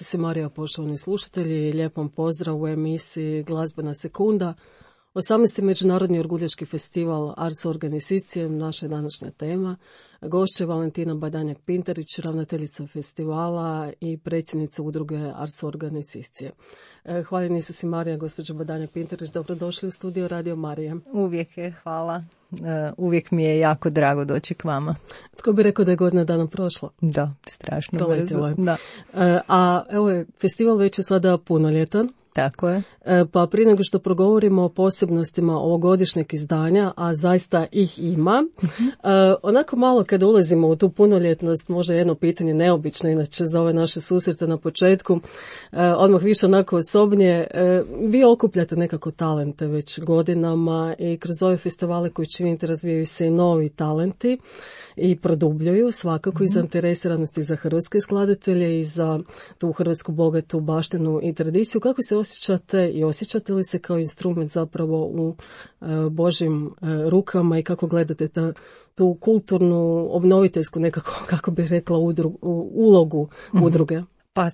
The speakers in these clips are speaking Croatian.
Isus i Marija, poštovani slušatelji, lijepom pozdrav u emisiji Glazbena sekunda. 18. Međunarodni orguljaški festival Ars Organizicijem, naša je današnja tema. Gošća je Valentina Badanjak-Pintarić, ravnateljica festivala i predsjednica udruge Ars Organizicije. Hvaljeni Isus i Marija, gospođo Badanjak-Pintarić, dobrodošli u studio Radio Marija. Uvijek je, hvala. Uvijek mi je jako drago doći k vama. Tko bi rekao da je godina dana prošla? Da, strašno brzo. Da. A evo, festival već je sada punoljetan. Tako je. Pa prije nego što progovorimo o posebnostima ovogodišnjeg izdanja, a zaista ih ima, onako malo kada ulazimo u tu punoljetnost, možda jedno pitanje neobično, inače za ove naše susrete na početku, odmah više onako osobnije, vi okupljate nekako talente već godinama i kroz ove festivale koji činite razvijaju se i novi talenti i produbljuju svakako i zainteresiranosti za hrvatske skladatelje i za tu hrvatsku bogatu baštinu i tradiciju. Kako se osjećate i osjećate li se kao instrument zapravo u Božjim rukama i kako gledate tu kulturnu, obnoviteljsku nekako, kako bih rekla, ulogu udruge? Pa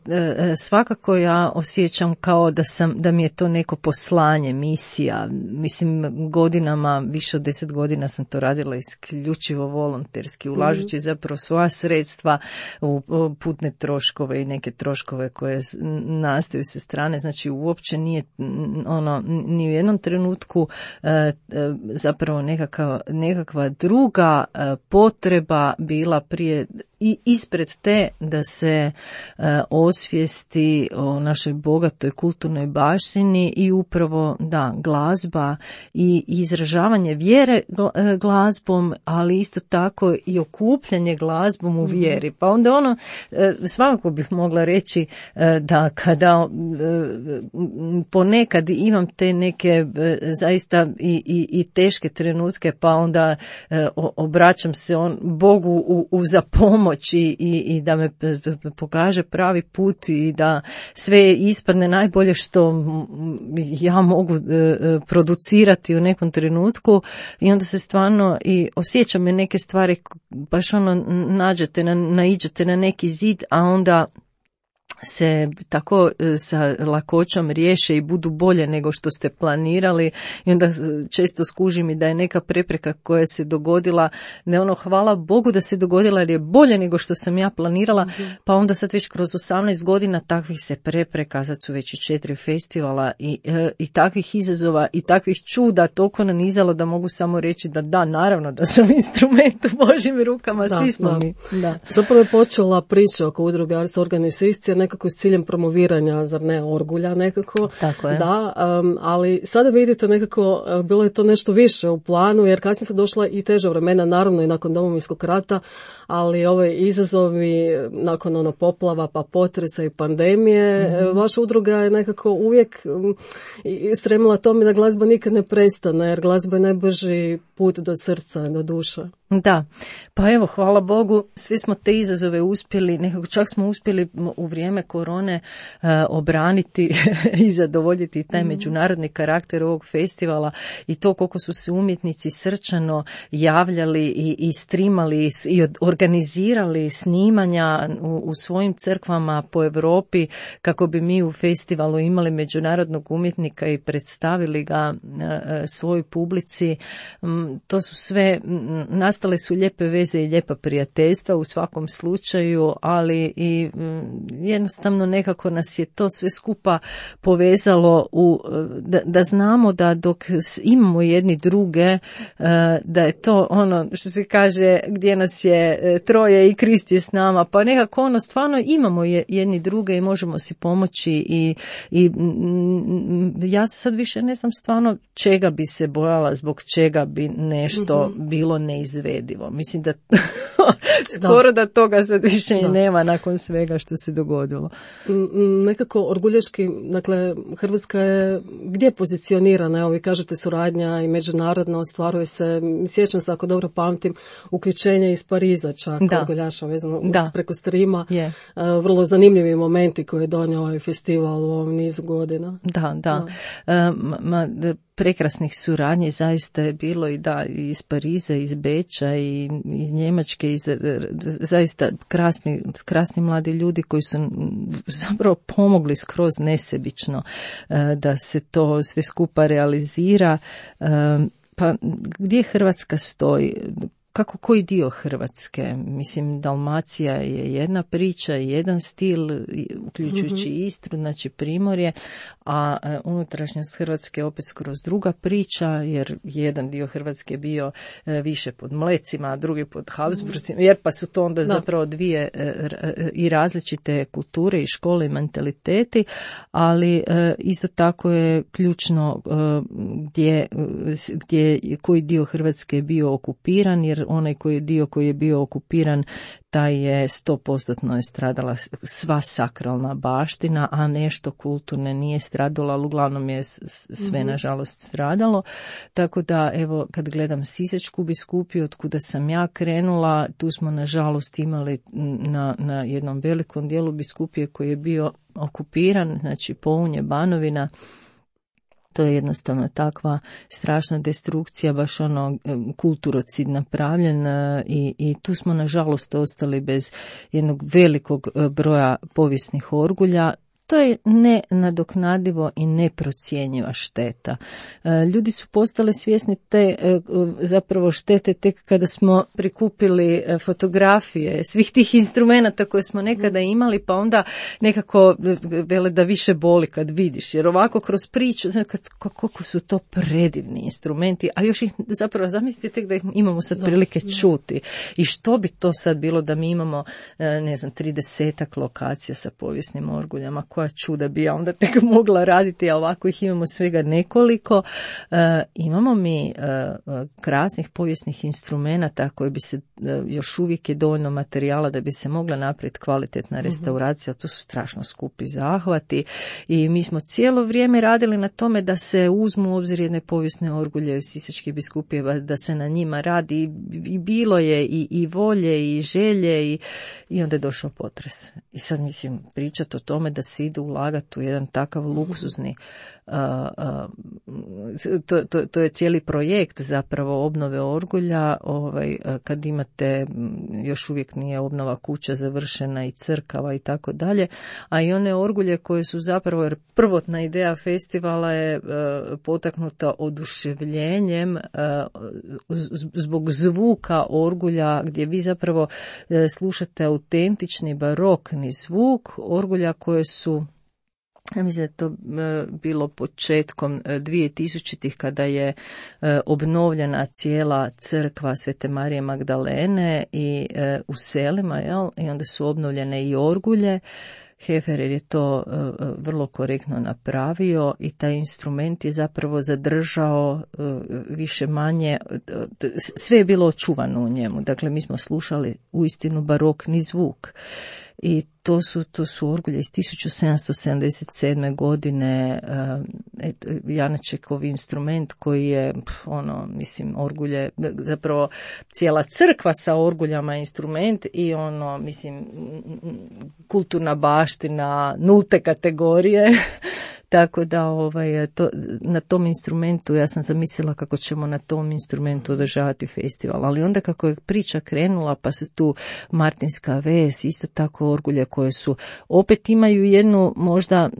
svakako ja osjećam kao da mi je to neko poslanje, misija. Mislim, godinama, više od 10 godina sam to radila isključivo volonterski, ulažući zapravo svoja sredstva u putne troškove i neke troškove koje nastaju sa strane. Znači, uopće nije ni u jednom trenutku zapravo nekakva druga potreba bila prije i ispred te da se osvijesti o našoj bogatoj kulturnoj baštini i upravo glazba i izražavanje vjere glazbom, ali isto tako i okupljanje glazbom u vjeri. Pa onda svakako bih mogla reći da kada ponekad imam te neke zaista i teške trenutke, pa onda obraćam se Bogu za pomoć i da me pokaže pravi put i da sve ispadne najbolje što ja mogu producirati u nekom trenutku i onda se stvarno i osjećam neke stvari, baš naiđete na neki zid, a onda se tako sa lakoćom riješe i budu bolje nego što ste planirali i onda često skužim i da je neka prepreka koja se dogodila, hvala Bogu da se dogodila jer je bolje nego što sam ja planirala, pa onda sad već kroz 18 godina takvih se prepreka, sad su već i 4 festivala i takvih izazova i takvih čuda toliko nanizalo da mogu samo reći da naravno da sam instrument u Božjim rukama, svi smo mi. Da. Zapravo je počela priča oko udruge Ars Organizicije, nekako s ciljem promoviranja, zar ne, orgulja nekako. Tako je. Da, ali sada vidite nekako bilo je to nešto više u planu, jer kasnije su došla i teža vremena, naravno i nakon Domovinskog rata, ali ove izazovi nakon poplava, pa potresa i pandemije, vaša udruga je nekako uvijek stremila tome da glazba nikad ne prestane, jer glazba je najbrži put do srca, do duše. Da, pa evo, hvala Bogu, svi smo te izazove uspjeli, nekako čak smo uspjeli u vrijeme korone obraniti i zadovoljiti taj međunarodni karakter ovog festivala i to koliko su se umjetnici srčano javljali i streamali i organizirali snimanja u svojim crkvama po Europi kako bi mi u festivalu imali međunarodnog umjetnika i predstavili ga svojoj publici. To su sve nastale su lijepe veze i lijepa prijateljstva u svakom slučaju, ali i jednostavno nekako nas je to sve skupa povezalo da znamo da dok imamo jedni druge, da je to što se kaže gdje nas je troje i Krist je s nama, pa nekako stvarno imamo jedni druge i možemo si pomoći i ja sad više ne znam stvarno čega bi se bojala, zbog čega bi nešto bilo neizvedivo. Mislim da skoro da toga sad više i nema nakon svega što se dogodilo. Nekako orguljaški, dakle, Hrvatska je gdje pozicionirana? Evo vi kažete suradnja i međunarodno ostvaruje se, sjećam se ako dobro pamtim, uključenje iz Pariza čak, orguljaša vezano preko streama. Vrlo zanimljivi momenti koje je donio ovaj festival u ovom nizu godina. Da. prekrasnih suradnji zaista je bilo i iz Pariza, iz Beča i iz Njemačke, zaista krasni mladi ljudi koji su zapravo pomogli skroz nesebično da se to sve skupa realizira. Pa gdje Hrvatska stoji? Koji dio Hrvatske? Mislim, Dalmacija je jedna priča, jedan stil, uključujući Istru, znači Primorje, a unutrašnjost Hrvatske opet skroz druga priča, jer jedan dio Hrvatske bio više pod Mlecima, a drugi pod Habsburcima, jer pa su to onda zapravo dvije i različite kulture i škole i mentaliteti, ali isto tako je ključno koji dio Hrvatske je bio okupiran, jer onaj dio koji je bio okupiran, taj je 100% stradala sva sakralna baština, a nešto kulturne nije stradalo, ali uglavnom je sve nažalost stradalo. Tako da, evo, kad gledam Sisačku biskupiju, od kuda sam ja krenula, tu smo nažalost imali na jednom velikom dijelu biskupije koji je bio okupiran, znači Pounje, Banovina. To je jednostavno takva strašna destrukcija, baš kulturocid napravljen i tu smo nažalost ostali bez jednog velikog broja povijesnih orgulja. To je nenadoknadivo i neprocjenjiva šteta. Ljudi su postali svjesni te zapravo štete tek kada smo prikupili fotografije svih tih instrumenata koje smo nekada imali, pa onda nekako vele da više boli kad vidiš, jer ovako kroz priču, koliko su to predivni instrumenti, a još ih zapravo zamislite tek da ih imamo sad prilike čuti. I što bi to sad bilo da mi imamo, 30 lokacija sa povijesnim orguljama, koja čuda bi ja onda tek mogla raditi, a ovako ih imamo svega nekoliko. Imamo mi krasnih povijesnih instrumenata koji bi se, još uvijek je dovoljno materijala da bi se mogla napraviti kvalitetna restauracija, to su strašno skupi zahvati i mi smo cijelo vrijeme radili na tome da se uzmu u obzir jedne povijesne orgulje Sisačke biskupije, da se na njima radi i bilo je i volje i želje i onda je došao potres. I sad mislim pričati o tome da se ide ulagati u jedan takav luksuzni, to je cijeli projekt zapravo obnove orgulja, kad imate, još uvijek nije obnova kuća završena i crkava i tako dalje, a i one orgulje koje su zapravo, jer prvotna ideja festivala je potaknuta oduševljenjem zbog zvuka orgulja, gdje vi zapravo slušate autentični barokni zvuk orgulja koje su, ja mislim da je to bilo početkom 2000-ih kada je obnovljena cijela crkva Svete Marije Magdalene i u selima, i onda su obnovljene i orgulje. Heferer je to vrlo korektno napravio i taj instrument je zapravo zadržao više manje, sve je bilo očuvano u njemu. Dakle, mi smo slušali uistinu barokni zvuk. I to su orgulje iz 1777. godine, Janačekov instrument koji je, orgulje, zapravo cijela crkva sa orguljama instrument i kulturna baština nulte kategorije. Tako da na tom instrumentu, ja sam zamislila kako ćemo na tom instrumentu održavati festival, ali onda kako je priča krenula, pa su tu Martinska ves, isto tako orgulje koje su, opet imaju jednu možda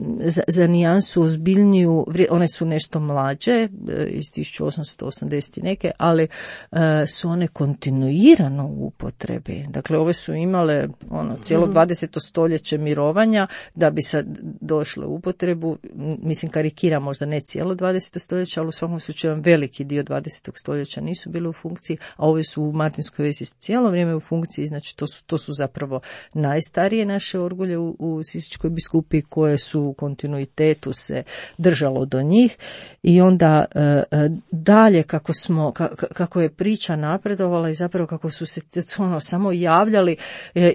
za nijansu ozbiljniju, one su nešto mlađe, iz 1880 neke, ali su one kontinuirano u upotrebi. Dakle, ove su imale cijelo 20. stoljeće mirovanja da bi sad došle u upotrebu. Mislim, karikira možda ne cijelo 20. stoljeća, ali u svakom slučaju veliki dio 20. stoljeća nisu bili u funkciji, a ove su u Martinskoj vesi cijelo vrijeme u funkciji, znači to su zapravo najstarije naše orgulje u Sisačkoj biskupiji koje su u kontinuitetu se držalo do njih i onda dalje kako je priča napredovala i zapravo kako su se samo javljali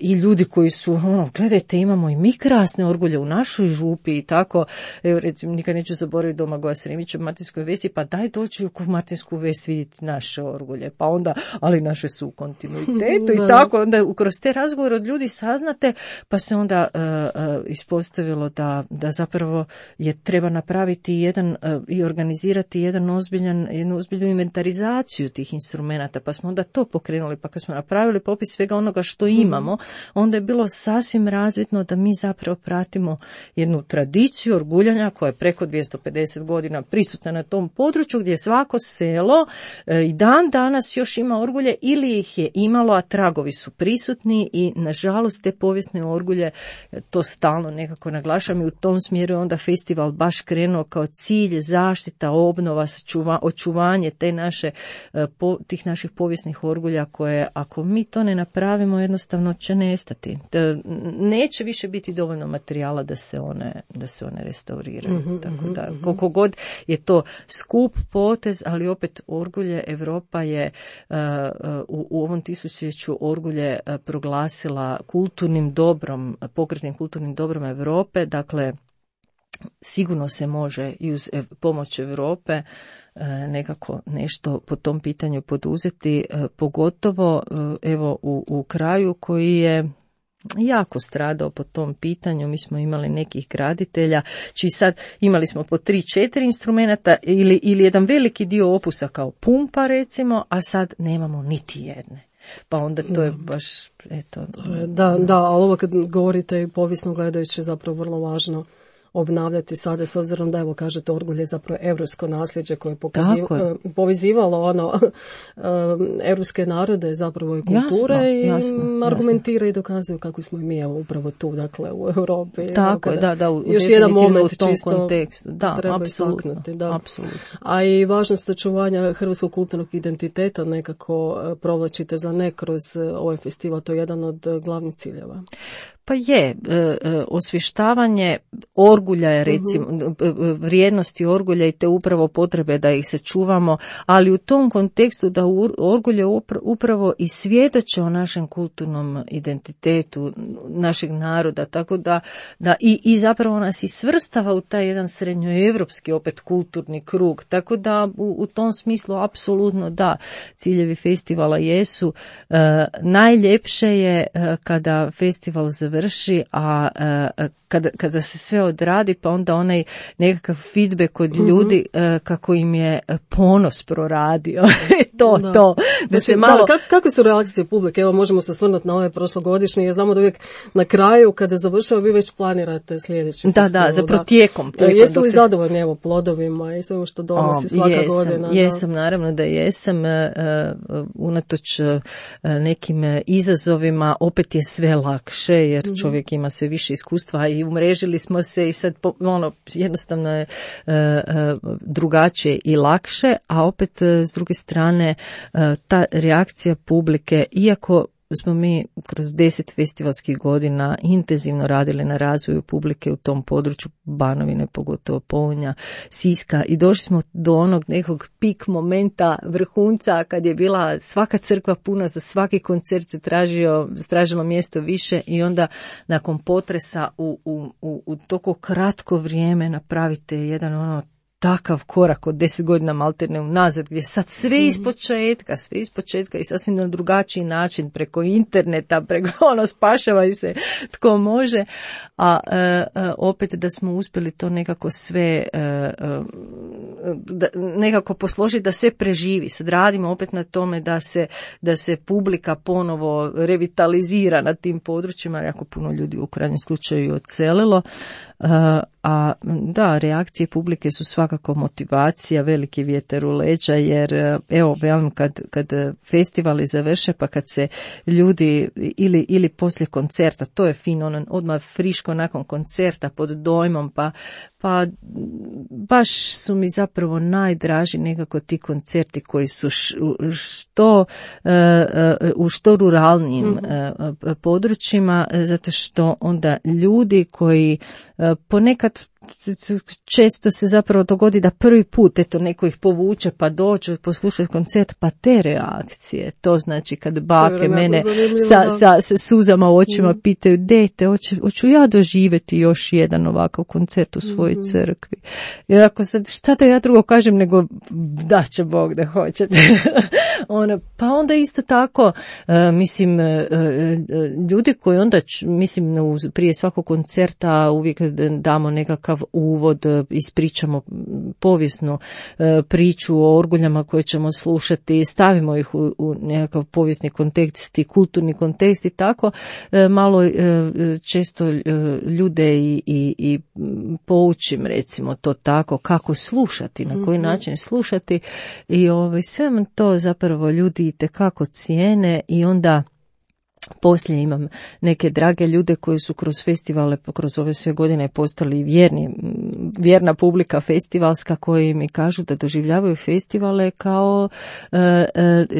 i ljudi koji su, gledajte, imamo i mi krasne orgulje u našoj župi i tako. Recimo, nikad neću zaboraviti Domagoja Sremića u Martinskoj vesi, pa daj doći u Martinsku ves vidjeti naše orgulje, pa onda, ali naše su u kontinuitetu i tako, onda kroz te razgovore od ljudi saznate, pa se onda ispostavilo da zapravo treba napraviti i organizirati jednu ozbiljnu inventarizaciju tih instrumenata, pa smo onda to pokrenuli, pa kad smo napravili popis svega onoga što imamo, onda je bilo sasvim razvidno da mi zapravo pratimo jednu tradiciju orguljanja koja je preko 250 godina prisutna na tom području, gdje svako selo i dan danas još ima orgulje ili ih je imalo, a tragovi su prisutni i nažalost te povijesne orgulje, to stalno nekako naglašam, i u tom smjeru je onda festival baš krenuo kao cilj zaštita, obnova, očuvanje tih naših povijesnih orgulja koje ako mi to ne napravimo jednostavno će nestati. Neće više biti dovoljno materijala da se one restauriraju. Tako da koliko god je to skup potez, ali opet orgulje, Europa je u ovom tisućljeću orgulje proglasila kulturnim dobrom, pokretnim kulturnim dobrom Europe, dakle sigurno se može i uz pomoć Europe nekako nešto po tom pitanju poduzeti, pogotovo evo u kraju koji je jako stradao po tom pitanju. Mi smo imali nekih graditelja čiji sad imali smo po 3-4 instrumenta ili jedan veliki dio opusa kao pumpa recimo, a sad nemamo niti jedne. Pa onda to je baš, eto. Da, ali ovo kad govorite povijesno gledajući zapravo vrlo važno obnavljati sada, s obzirom da, evo kažete, orgulje je zapravo europsko nasljeđe koje je povezivalo europske narode zapravo i kulture jasno, argumentira i dokazuju kako smo i mi upravo tu, dakle, u Europi. Tako je, da, još jedan moment u tom čisto kontekstu. Da, treba istaknuti. Da. A i važnost očuvanja hrvatskog kulturnog identiteta nekako provlačite za ne kroz ovaj festival, to je jedan od glavnih ciljeva. Pa je, osvještavanje orgulja je recimo, vrijednosti orgulja i te upravo potrebe da ih sačuvamo, ali u tom kontekstu da orgulje upravo i svjedoče o našem kulturnom identitetu našeg naroda, tako da i zapravo nas i svrstava u taj jedan srednjoevropski opet kulturni krug, tako da u tom smislu apsolutno da, ciljevi festivala jesu. Najljepše je kada festival završi, a kada se sve odradi, pa onda onaj nekakav feedback od ljudi kako im je ponos proradio. To. Da se malo... Kako su reakcije publike? Evo, možemo se svrnuti na ove prošlogodišnje, jer znamo da uvijek na kraju, kada završava, vi već planirate sljedeći festival. Da, zapravo tijekom. Jeste li zadovoljni evo plodovima i svemu što donosi svaka godina? Jesam, naravno da jesam. Unatoč nekim izazovima, opet je sve lakše, jer čovjek ima sve više iskustva i umrežili smo se i sad jednostavno je drugačije i lakše, a opet s druge strane ta reakcija publike, iako smo mi kroz 10 festivalskih godina intenzivno radili na razvoju publike u tom području Banovine, pogotovo Pounja, Siska, i došli smo do onog nekog pik momenta, vrhunca, kad je bila svaka crkva puna, za svaki koncert se tražilo mjesto više, i onda nakon potresa u toliko kratko vrijeme napravite jedan takav korak od 10 godina malterne unazad, gdje sad sve ispočetka i sasvim na drugačiji način, preko interneta, preko spašavaj se tko može, a opet da smo uspjeli to nekako sve nekako posložiti da sve preživi. Sad radimo opet na tome da se publika ponovo revitalizira na tim područjima, jako puno ljudi u krajnjem slučaju odselilo. A da, reakcije publike su svakako motivacija, veliki vjetar u leđa, jer evo, kad festivali završe, pa kad se ljudi ili poslije koncerta, to je fino, odmah friško nakon koncerta pod dojmom, pa baš su mi zapravo najdraži nekako ti koncerti koji su u što ruralnijim područjima, zato što onda ljudi koji ponekad često se zapravo dogodi da prvi put neko ih povuče pa dođu poslušati koncert, pa te reakcije, to znači kad bake mene sa suzama u očima pitaju, dete, hoću ja doživjeti još jedan ovakav koncert u svojoj crkvi. Jer ako sad, šta da ja drugo kažem nego da će Bog da hoćete. Pa onda isto tako, mislim, ljudi koji onda, mislim, prije svakog koncerta uvijek damo nekakav uvod, ispričamo povijesnu priču o orguljama koje ćemo slušati, stavimo ih u nekakav povijesni kontekst i kulturni kontekst i tako, malo često ljude i poučim, recimo to tako, kako slušati, na koji način slušati i sve to zapravo ljudi itekako cijene i onda poslije imam neke drage ljude koji su kroz festivale, kroz ove sve godine postali vjerna publika festivalska, koji mi kažu da doživljavaju festivale kao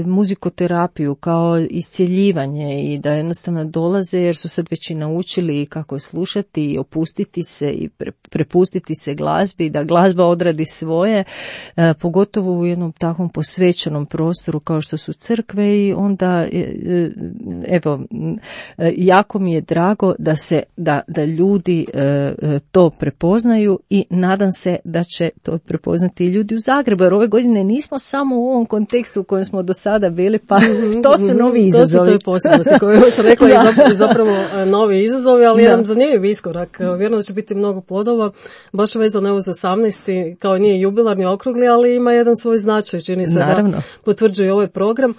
muzikoterapiju, kao iscjeljivanje i da jednostavno dolaze jer su sad već i naučili kako slušati i opustiti se i prepustiti se glazbi, da glazba odradi svoje, pogotovo u jednom takvom posvećenom prostoru kao što su crkve i onda evo, jako mi je drago da ljudi to prepoznaju i nadam se da će to prepoznati i ljudi u Zagrebu, jer ove godine nismo samo u ovom kontekstu u kojem smo do sada bili, pa to su novi izazovi. To je posebno koje sam rekla i zapravo novi izazovi, ali jedan zanimljiv iskorak. Vjerujem da će biti mnogo plodova, baš vezano uz 18. kao nije jubilarni okrugli, ali ima jedan svoj značaj, čini se da potvrđuje ovaj program.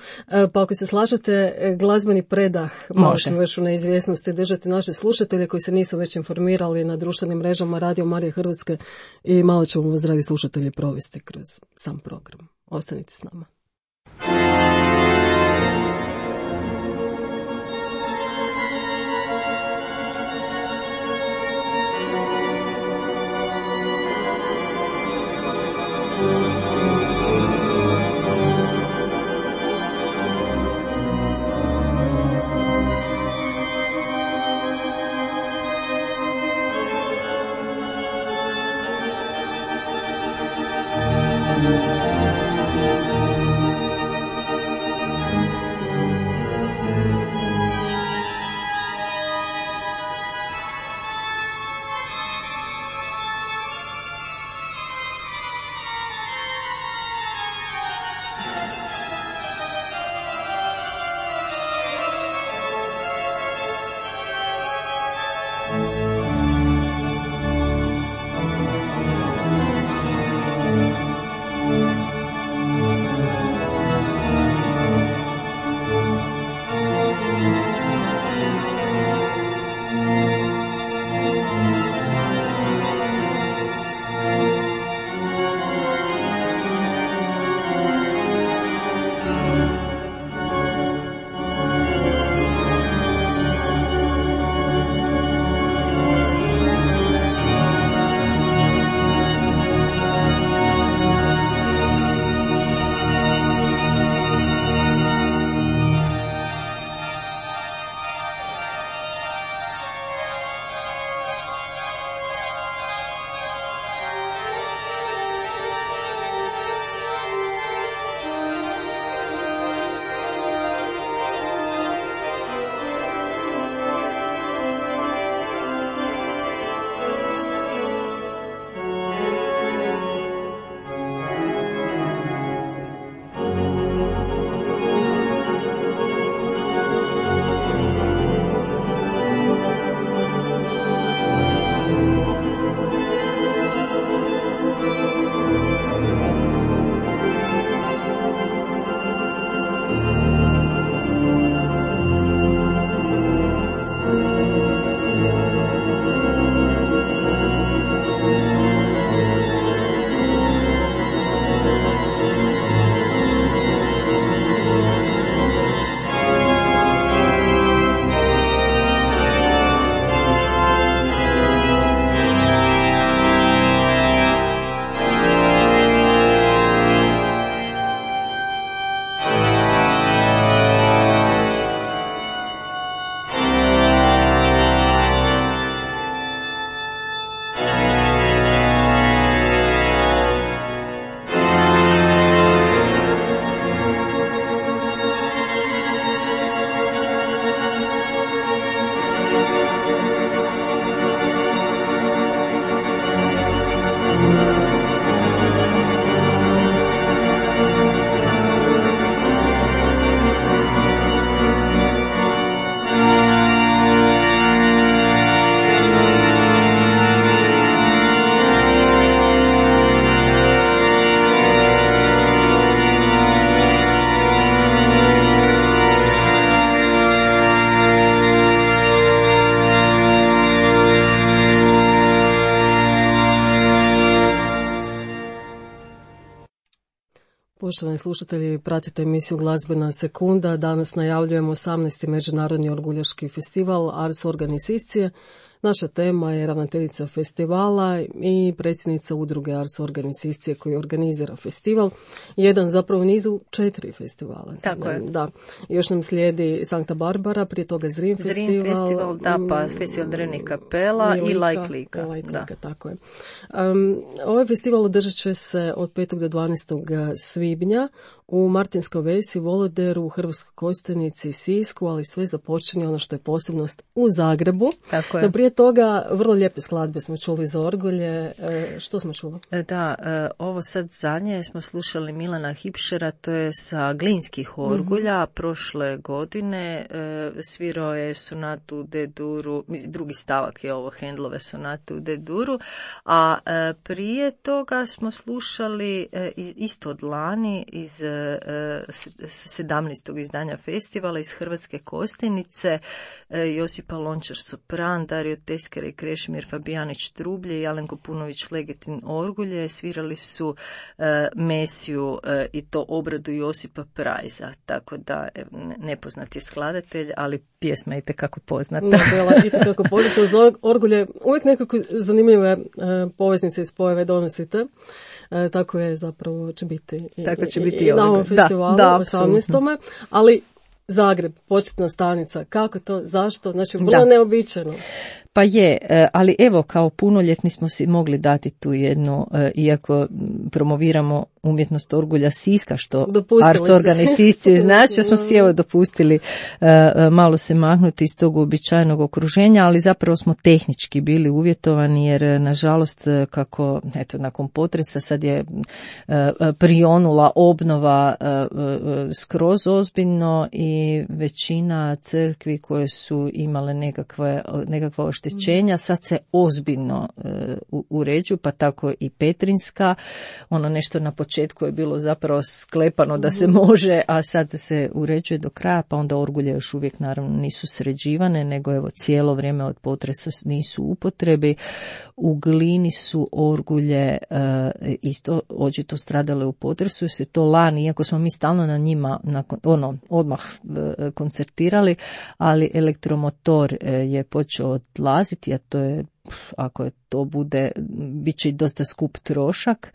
Pa ako se slažete, glazbeni predah možemo već u neizvjesnosti držati naše slušatelje koji se nisu već informirali na društvenim mrežama Radio Marije Hrvatske i malo ćemo vas, dragi slušatelji, provesti kroz sam program. Ostanite s nama. Poštovani slušatelji, pratite emisiju Glazbena sekunda. Danas najavljujemo 18. Međunarodni orguljaški festival Ars Organizacije. Naša tema je ravnateljica festivala i predsjednica udruge Ars Organizacije koji organizira festival. Jedan zapravo nizu 4 festivala. Tako je. Da. Još nam slijedi Sankta Barbara, prije toga Zrin festival. Da, pa festival Drvenih kapela i Like Lika. Tako je. Ovaj festival održat će se od 5. do 12. svibnja u Martinskoj Vesi, Voloderu, u Hrvatskoj Kostajnici i Sisku, ali sve započinje ono što je posebnost u Zagrebu. Tako je. No prije toga vrlo lijepe skladbe smo čuli za orgulje. Što smo čuli? Da, ovo sad zadnje smo slušali Milana Hipšera, to je sa Glinskih orgulja. Prošle godine svirao je sonatu u D-duru, drugi stavak je ovo Handlove sonate u D-duru, a prije toga smo slušali isto od lani iz 17. izdanja festivala iz Hrvatske Kostajnice, Josipa Lončar sopran, Dario Teskera i Krešimir Fabijanić trublje i Alenko Punović legetin orgulje. Svirali su Mesiju i to obradu Josipa Prajza, tako da nepoznat je skladatelj, ali pjesma je itekako poznata. Itekako poznata. Uz orgulje uvijek nekako zanimljive poveznice i spojeve donosite. Tako je zapravo će biti i na ovom festivalu 18. Ali Zagreb, početna stanica, kako to, zašto, znači vrlo neobičajno. Pa je, ali evo kao punoljetni smo si mogli dati tu jednu, iako promoviramo umjetnost orgulja Siska, što Ars Organizacije znači, smo si evo dopustili malo se mahnuti iz tog uobičajenog okruženja, ali zapravo smo tehnički bili uvjetovani jer nažalost kako nakon potresa sad je prionula obnova skroz ozbiljno i većina crkvi koje su imale nekakva oštećenja sad se ozbiljno uređuju, pa tako i Petrinska, ono nešto na početku je bilo zapravo sklepano da se može, a sad se uređuje do kraja, pa onda orgulje još uvijek naravno nisu sređivane, nego evo cijelo vrijeme od potresa nisu u upotrebi. U Glini su orgulje isto očito stradale u potresu, se to lani, iako smo mi stalno na njima odmah koncertirali, ali elektromotor je počeo odlaziti, a to je, ako je to bude, bit će i dosta skup trošak,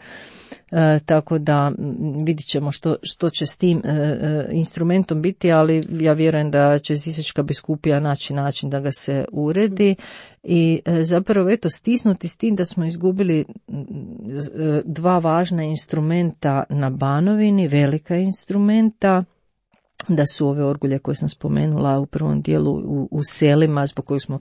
tako da vidit ćemo što će s tim instrumentom biti, ali ja vjerujem da će Sisačka biskupija naći način da ga se uredi i zapravo stisnuti s tim da smo izgubili 2 važna instrumenta na Banovini, velika instrumenta, da su ove orgulje koje sam spomenula u prvom dijelu u selima, zbog kojih smo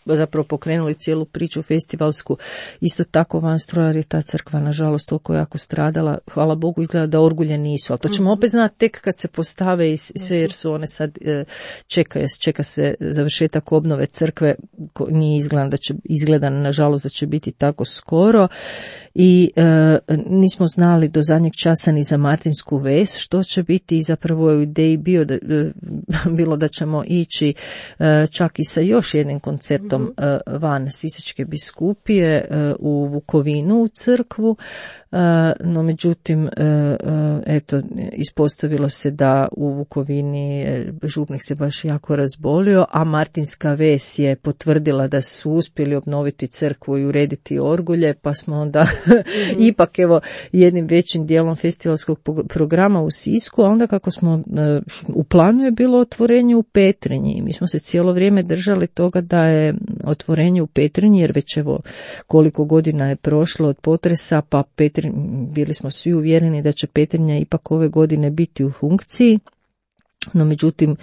zapravo pokrenuli cijelu priču festivalsku, isto tako Van Strojar je ta crkva nažalost toliko jako stradala, hvala Bogu izgleda da orgulje nisu, ali to ćemo opet znati tek kad se postave i sve, jer su one sad čeka se završetak obnove crkve, nije izgleda nažalost da će biti tako skoro i nismo znali do zadnjeg časa ni za Martinsku Ves što će biti i zapravo je u ideji bilo da ćemo ići čak i sa još jednim koncertom van Sisačke biskupije u Vukovinu u crkvu, no međutim ispostavilo se da u Vukovini župnik se baš jako razbolio, a Martinska Ves je potvrdila da su uspjeli obnoviti crkvu i urediti orgulje, pa smo onda ipak jednim većim dijelom festivalskog programa u Sisku, a onda kako smo u planu je bilo otvorenje u Petrinji i mi smo se cijelo vrijeme držali toga da je otvorenje u Petrinji, jer već koliko godina je prošlo od potresa, pa bili smo svi uvjereni da će Petrinja ipak ove godine biti u funkciji. No međutim,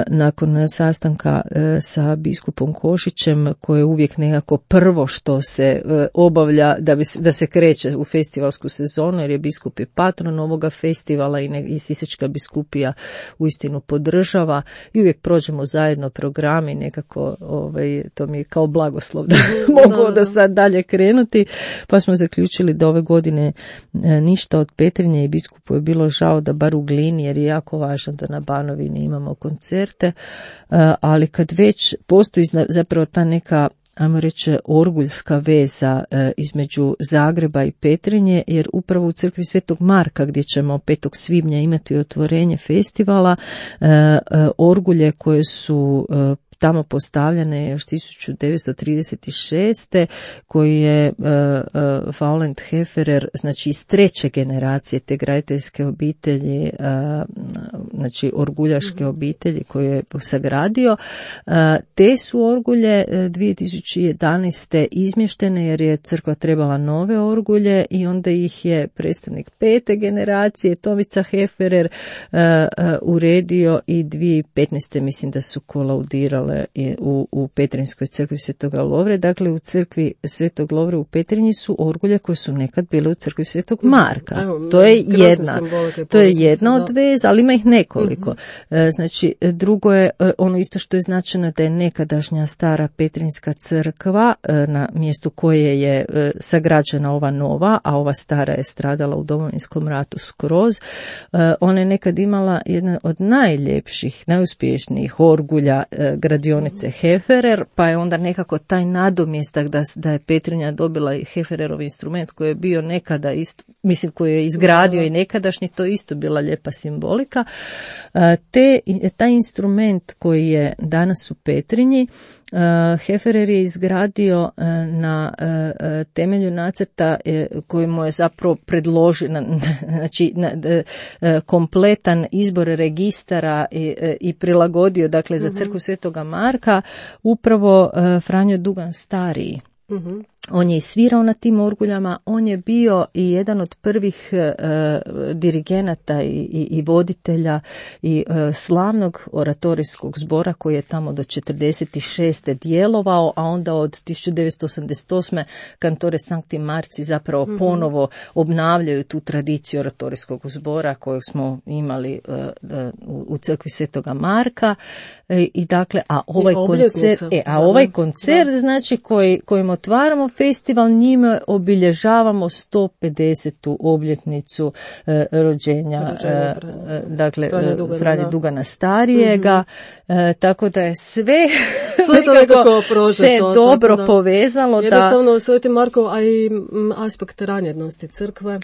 nakon sastanka sa biskupom Košićem, koje je uvijek nekako prvo što se obavlja da se kreće u festivalsku sezonu, jer je biskup je patron ovoga festivala i Sisačka biskupija uistinu podržava i uvijek prođemo zajedno programi, nekako to mi je kao blagoslov da mogu da sad dalje krenuti, pa smo zaključili da ove godine ništa od Petrinje i biskupu je bilo žao da bar u Glini, jer je jako važno da na Banovini imamo koncerte, ali kad već postoji zapravo ta neka ajmo reći, orguljska veza između Zagreba i Petrinje, jer upravo u crkvi Svetog Marka, gdje ćemo 5. svibnja imati otvorenje festivala, orgulje koje su tamo postavljene još 1936. koji je Vaulent Hefferer, znači iz 3. generacije te graditeljske obitelji, znači orguljaške obitelji koje je sagradio. Te su orgulje 2011. izmještene jer je crkva trebala nove orgulje i onda ih je predstavnik 5. generacije Tomica Hefferer uredio i 2015. mislim da su kolaudirale u Petrinjskoj crkvi Svetoga Lovre. Dakle, u crkvi Svetog Lovre u Petrinji su orgulje koje su nekad bile u crkvi Svetog Marka. To je jedna od veza, ali ima ih nekoliko. Znači, drugo je ono isto što je značajno, da je nekadašnja stara Petrinjska crkva, na mjestu koje je sagrađena ova nova, a ova stara je stradala u Domovinskom ratu skroz. Ona je nekad imala jedna od najljepših, najuspješnijih orgulja gradionice Hefferer, pa je onda nekako taj nadomjestak da je Petrinja dobila i Heffererov instrument koji je bio nekada isto, mislim koji je izgradio i nekadašnji, to isto bila lijepa simbolika. Taj instrument koji je danas u Petrinji, Hefferer je izgradio na temelju nacrta koji mu je zapravo predložio, znači kompletan izbor registara i prilagodio, dakle, za crkvu Svetoga Marka, upravo Franjo Dugan stariji. On je i svirao na tim orguljama, on je bio i jedan od prvih dirigenata i voditelja i slavnog oratorijskog zbora koji je tamo do 1946. djelovao, a onda od 1988. kantore Sankti Marci zapravo ponovo obnavljaju tu tradiciju oratorijskog zbora kojeg smo imali u crkvi Svetoga Marka. I dakle, ovaj koncert znači kojim otvaramo festival, njime obilježavamo 150. obljetnicu rođenja dakle Franje Dugana starijega, tako da je sve to nekako se dobro povezalo. Jednostavno Sveti Marko, a i aspekt ranjednosti crkve,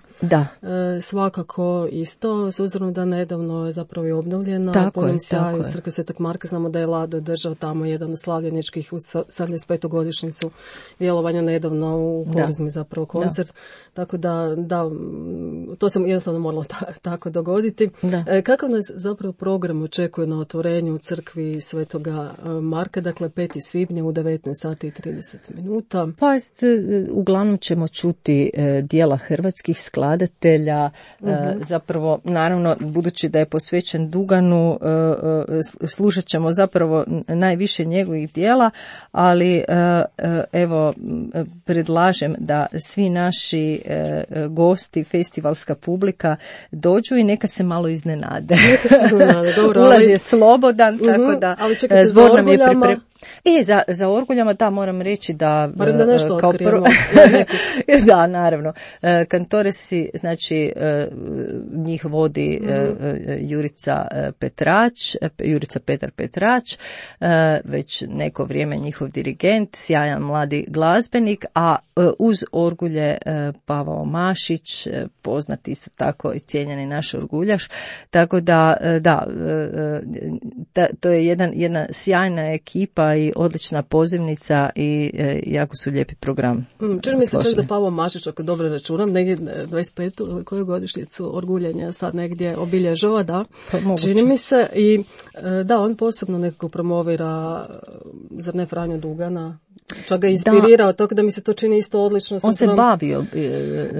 svakako isto, s obzirom da nedavno je zapravo i obnovljena po sjaju crkve Svetog Marka. Znamo da je Lado držao tamo jedan slavljeničkih u 75. godišnjicu djelovanja nedavno u Korizmi zapravo koncert. Tako da, to se jednostavno moralo tako dogoditi. Kako nas zapravo program očekuje na otvorenju u crkvi Svetoga Marka, dakle 5. svibnja u 19 sati i 30 minuta? Pa uglavnom ćemo čuti dijela hrvatskih skladatelja, zapravo naravno budući da je posvećen Duganu, slušat ćemo zapravo najviše njegovih dijela, ali evo predlažem da svi naši gosti, festivalska publika dođu i neka se malo iznenade. Ulaz je slobodan, tako da zbor nam je pripremljen. Za orguljama moram reći da kao prvo da, naravno. Kantoresi, znači njih vodi Jurica Petar Petrač, već neko vrijeme njihov dirigent, sjajan mladi glazbenik, a uz orgulje Pavao Mašić, poznat isto tako i cijenjeni naš orguljaš, tako da to je jedna sjajna ekipa i odlična pozivnica i jako su lijepi program. Čini mi se čak da Pavao Mašić, ako dobro računam, negdje 25. koju godišnjicu orguljenja sad negdje obilježava, čini mi se, i on posebno nekako promovira, zar ne, Franju Dugana, čak ga inspirirao, tako da mi se to čini isto odlično. On se bavio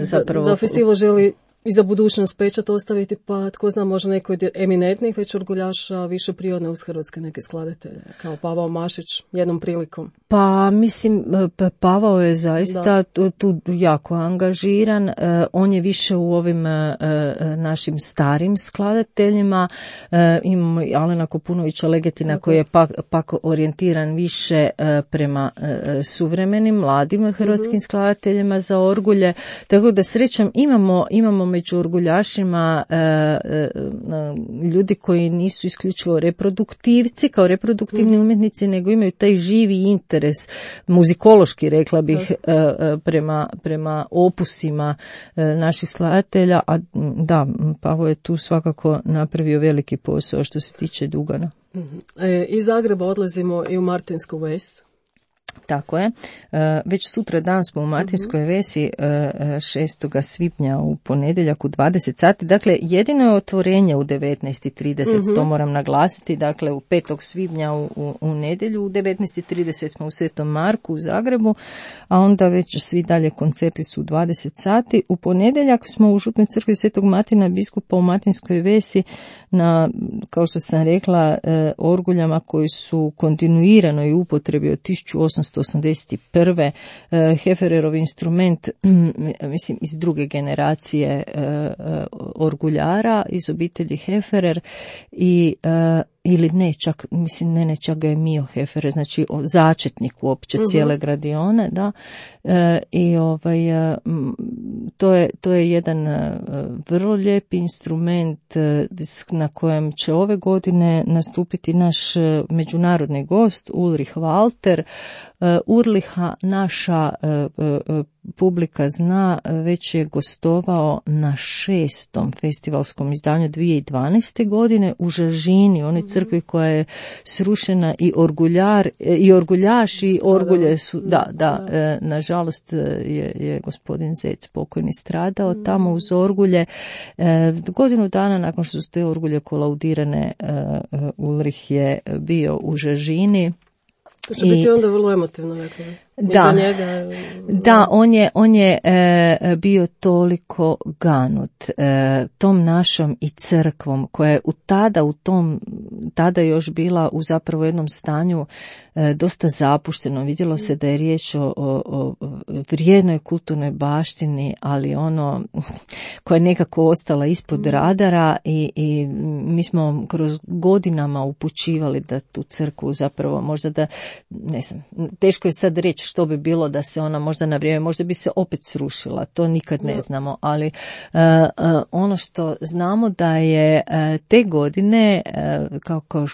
zapravo. Da festival želi i za budućnost pečat ostaviti, pa tko zna, možda neko od eminentnih već orguljaša više prirodne uz hrvatske neke skladatelje, kao Pavao Mašić, jednom prilikom. Pa mislim, Pavao je zaista tu jako angažiran, on je više u ovim našim starim skladateljima, imamo i Alena Kopunovića Legetina koji je pak orijentiran više prema suvremenim, mladim hrvatskim skladateljima za orgulje, tako da srećom imamo među orguljašima ljudi koji nisu isključivo reproduktivci, kao reproduktivni umjetnici, nego imaju taj živi interes, muzikološki rekla bih, prema opusima naših skladatelja, a da, Pavo je tu svakako napravio veliki posao što se tiče Dugana. Iz Zagreba odlazimo i u Martinsku Ves. Tako je. Već sutra dan smo u Martinskoj Vesi 6. svibnja u ponedjeljak u 20 sati. Dakle, jedino je otvorenje u 19:30, to moram naglasiti. Dakle, u 5. svibnja u nedjelju u 19:30 smo u Svetom Marku u Zagrebu, a onda već svi dalje koncerti su u 20 sati. U ponedjeljak smo u Župnoj crkvi Svetog Martina biskupa u Martinskoj Vesi na, kao što sam rekla, orguljama koji su kontinuirano i upotrebi od 1881. Heffererov instrument, mislim, iz druge generacije orguljara, iz obitelji Hefferer i ili ne, čak, mislim, ne, čak ga je Mio Hefferer, znači začetnik uopće cijele gradione, da, i to je jedan vrlo lijepi instrument na kojem će ove godine nastupiti naš međunarodni gost Ulrich Walter. Urliha naša publika zna, već je gostovao na 6. festivalskom izdanju 2012. godine u Žažini, onoj crkvi koja je srušena, i orguljaš i orgulje su, nažalost je gospodin Zec pokojni stradao tamo uz orgulje. Godinu dana nakon što su te orgulje kolaudirane, Ulrich je bio u Žažini. To će biti onda vrlo emotivno, rekao. Da, on je bio toliko ganut tom našom i crkvom, koja je tada još bila u zapravo jednom stanju dosta zapušteno. Vidjelo se da je riječ o vrijednoj kulturnoj baštini, ali koja je nekako ostala ispod radara, i mi smo kroz godinama upućivali da tu crkvu zapravo možda da, ne znam, teško je sad reći što bi bilo da se ona možda na vrijeme, možda bi se opet srušila, to nikad ne znamo, ali ono što znamo da je te godine, kao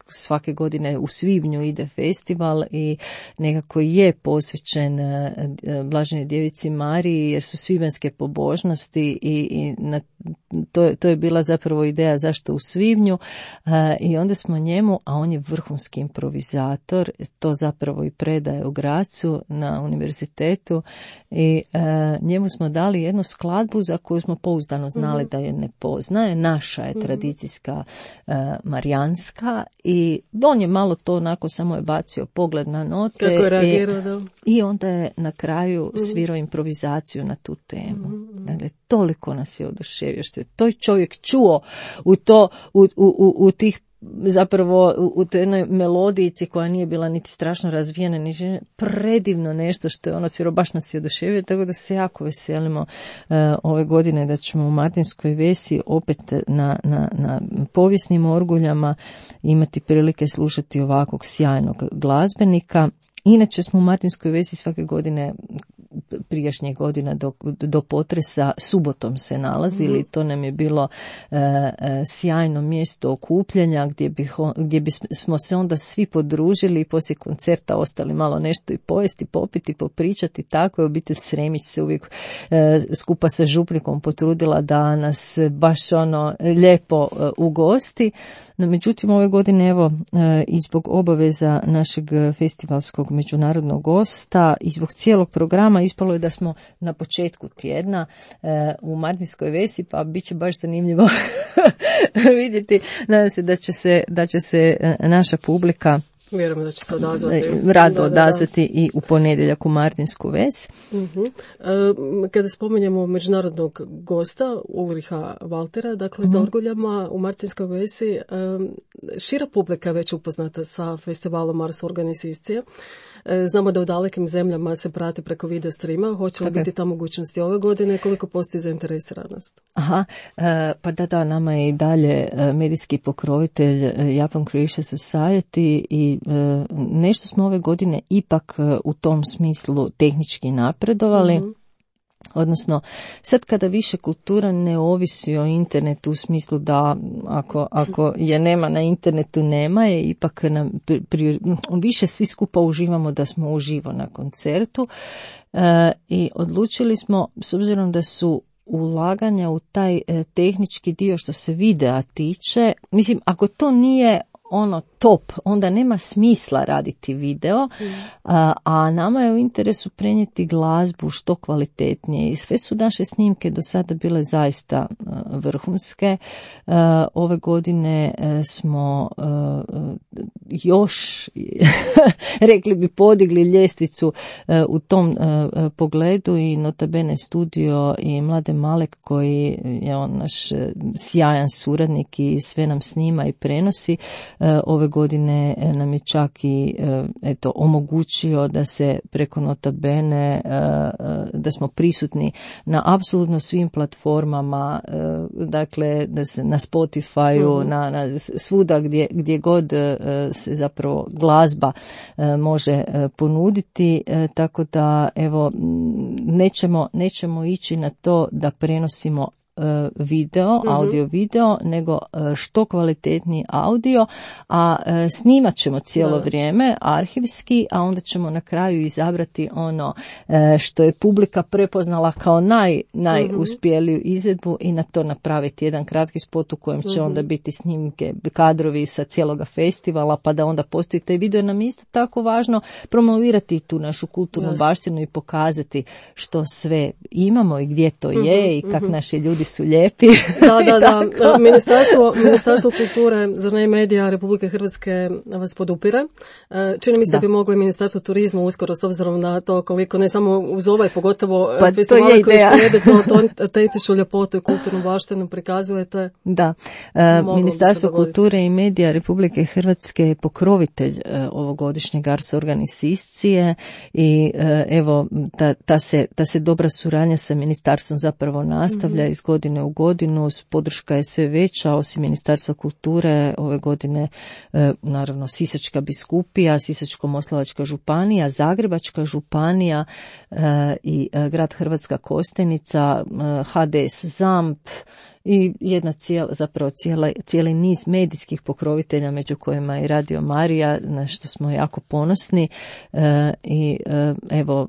svake godine u svibnju ide festival i nekako je posvećen Blaženoj djevici Mariji, jer su svibanjske pobožnosti i to je bila zapravo ideja zašto u svibnju, i onda smo njemu, a on je vrhunski improvizator, to zapravo i predaje u Grazu na univerzitetu, i njemu smo dali jednu skladbu za koju smo pouzdano znali da je ne poznaje, naša je tradicijska marijanska, i on je malo to onako samo je bacio pogled na note. Kako je reagirao, i onda je na kraju svirao improvizaciju na tu temu. Dakle, toliko nas je oduševio što je to čovjek čuo u tih, zapravo u toj jednoj melodijici koja nije bila niti strašno razvijena, ni predivno nešto što je ono cviro, baš nas je oduševio, tako da se jako veselimo ove godine da ćemo u Martinskoj Vesi opet na povijesnim orguljama imati prilike slušati ovakvog sjajnog glazbenika. Inače smo u Martinskoj Vesi svake godine, prijašnjih godina do potresa, subotom se nalazili. To nam je bilo sjajno mjesto okupljanja gdje bismo se onda svi podružili i poslije koncerta ostali malo nešto i pojesti, popiti, popričati. Tako je obitelj Sremić se uvijek skupa sa župnikom potrudila da nas baš lijepo ugosti. No, međutim, ove godine, evo, i zbog obaveza našeg festivalskog međunarodnog gosta i zbog cijelog programa ispalo je da smo na početku tjedna u Martinskoj Vesi, pa bit će baš zanimljivo vidjeti. Nadam se da će se naša publika vjerujem da će se odazvati. Rado odazvati i u ponedjeljak u Martinsku Ves. Kada spomenjemo međunarodnog gosta Ulricha Waltera, dakle za orguljama u Martinskoj Vesi, šira publika je već upoznata sa festivalom Mars Organizacije. Znamo da u dalekim zemljama se prati preko video streama. Hoće li biti ta mogućnosti ove godine? Koliko postoji zainteresiranost? Pa da, nama je i dalje medijski pokrovitelj Japan Croatia Society i nešto smo ove godine ipak u tom smislu tehnički napredovali. Odnosno, sad kada više kultura ne ovisi o internetu u smislu da ako je nema na internetu, nema je, ipak više svi skupa uživamo da smo uživo na koncertu i odlučili smo, s obzirom da su ulaganja u taj tehnički dio što se videa tiče, mislim, ako to nije ono top, onda nema smisla raditi video, a nama je u interesu prenijeti glazbu što kvalitetnije i sve su naše snimke do sada bile zaista vrhunske. Ove godine smo još rekli bi podigli ljestvicu u tom pogledu i notabene studio i Mladen Malek koji je on naš sjajan suradnik i sve nam snima i prenosi. Ove godine nam je čak i omogućio da se preko notabene, da smo prisutni na apsolutno svim platformama, dakle da se na Spotify-u, na svuda gdje god se zapravo glazba može ponuditi, tako da evo nećemo ići na to da prenosimo video, audio video, nego što kvalitetniji audio, a snimat ćemo cijelo vrijeme arhivski, a onda ćemo na kraju izabrati ono što je publika prepoznala kao najuspjeliju izvedbu i na to napraviti jedan kratki spot u kojem će onda biti snimke, kadrovi sa cijeloga festivala, pa da onda postoji taj video. Nam je isto tako važno promovirati tu našu kulturnu baštinu i pokazati što sve imamo i gdje to je i kak naši ljudi su lijepi. Da. Ministarstvo kulture, zar ne, medija Republike Hrvatske vas podupire. Čini mi se da bi moglo i Ministarstvo turizma uskoro, s obzirom na to koliko, ne samo uz ovaj, pogotovo festivale koji slijede, to autentičnu ljepotu i kulturnu baštinu prikazujete. Da, Ministarstvo kulture i medija Republike Hrvatske je pokrovitelj ovogodišnjeg Ars Organiscije i evo ta se dobra suradnja sa ministarstvom zapravo nastavlja iz godine u godinu, podrška je sve veća, osim Ministarstva kulture ove godine naravno Sisačka biskupija, Sisačko-moslavačka županija, Zagrebačka županija i grad Hrvatska Kostajnica, HDS ZAMP i jedna cijeli niz medijskih pokrovitelja, među kojima i Radio Marija, na što smo jako ponosni i evo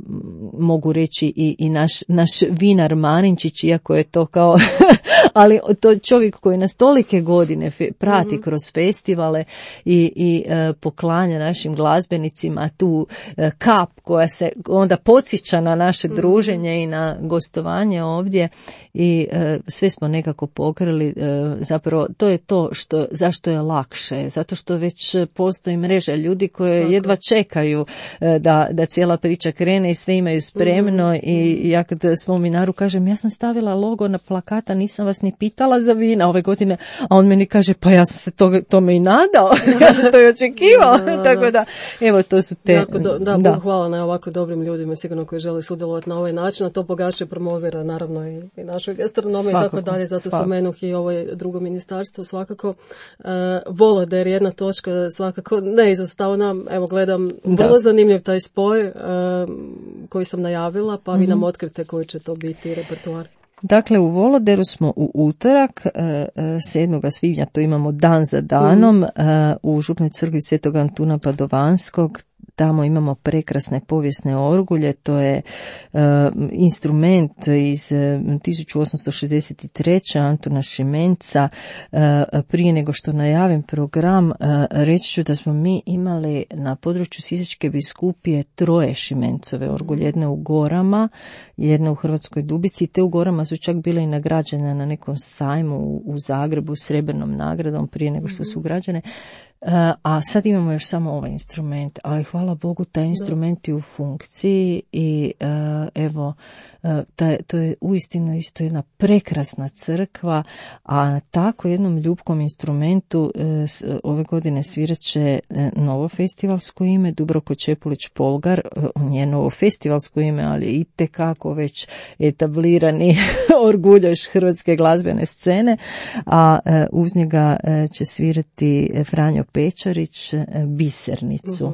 mogu reći i naš vinar Marinčić, iako je to kao ali to čovjek koji nas tolike godine prati kroz festivale i poklanja našim glazbenicima tu kap koja se onda podsjeća na naše druženje i na gostovanje ovdje i sve smo nekako pokrili, zapravo to je to zašto je lakše, zato što već postoji mreža ljudi koje jedva čekaju da cijela priča krene i sve imaju spremno i ja kad svom vinaru kažem, ja sam stavila logo na plakata, nisam vas ni pitala za vina ove godine, a on meni kaže, pa ja sam se tome i nadao, ja sam to i očekivao, tako da, evo to su te... Hvala na ovako dobrim ljudima, sigurno koji žele sudjelovati na ovaj način, a to bogače promovira naravno i našu gastronomiju i tako dalje, zato spomenuh i ovo drugo ministarstvo svakako. Voloder, jedna točka svakako neizostavna, evo gledam, vrlo zanimljiv taj spoj koji sam najavila, pa vi nam otkrite koji će to biti repertoar. Dakle, u Voloderu smo u utorak, 7. svibnja, to imamo dan za danom, u Župnoj crkvi Svetog Antuna Padovanskog. Tamo imamo prekrasne povijesne orgulje, to je instrument iz 1863. Antuna Šimenca. Prije nego što najavim program, reći ću da smo mi imali na području Sisačke biskupije 3 Šimencove orgulje, jedne u Gorama, jedna u Hrvatskoj Dubici, te u Gorama su čak bile i nagrađene na nekom sajmu u Zagrebu srebrnom nagradom prije nego što su građene. A sad imamo još samo ovaj instrument, ali hvala Bogu taj instrument je u funkciji i evo to je uistinu isto jedna prekrasna crkva, a na tako jednom ljubkom instrumentu ove godine svirat će novo festivalsko ime, Dubravko Čepulić Polgar. On je novo festivalsko ime, ali itekako već etablirani orguljaš hrvatske glazbene scene, a uz njega će svirati Franjo Pečarić Bisernicu.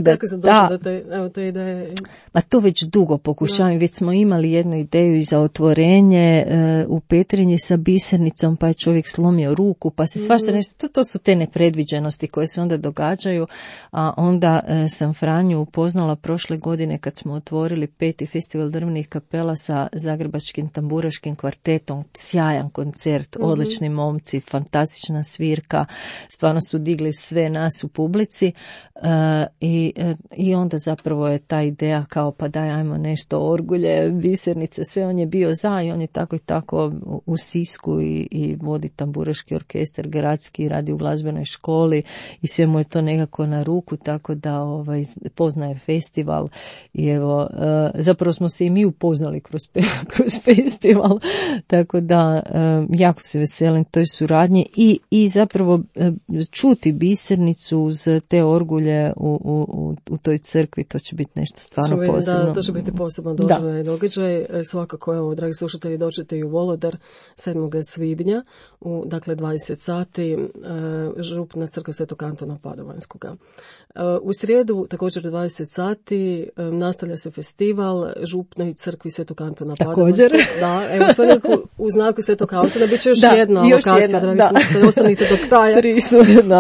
Kako se došlo do te ideje? Pa to već dugo pokušavam, već smo imali jednu ideju i za otvorenje u Petrinji sa Bisernicom, pa je čovjek slomio ruku, pa se svašta nešto, to su te nepredviđenosti koje se onda događaju, a onda sam Franju upoznala prošle godine kad smo otvorili 5. festival drvenih kapela sa Zagrebačkim tamburaškim kvartetom, sjajan koncert, odlični momci, fantastična svirka, stvarno su digli sve nas u publici i onda zapravo je ta ideja kao pa daj ajmo nešto orgulje, Bisernice, sve on je bio za i on je tako i tako u Sisku i vodi tamburaški orkestar gradski, radi u glazbenoj školi i sve mu je to nekako na ruku, tako da poznaje festival i evo zapravo smo se i mi upoznali kroz festival, tako da jako se veselim toj suradnji i zapravo čuti Bisernicu uz te orgulje u toj crkvi, to će biti nešto stvarno posebno. Da, to će biti posebno događaj. Svakako, evo, dragi slušatelji, dođete i u Volodar 7. svibnja u 20 sati, župna crkva Svetog Antuna Padovanskoga. U srijedu, također 20 sati, nastavlja se festival župnoj crkvi Svetog Antuna Padovanskog. Da, evo, sve u znaku Svetog Antuna, bit će još jedna lokacija, dragi slušatelji, ostanite do kraja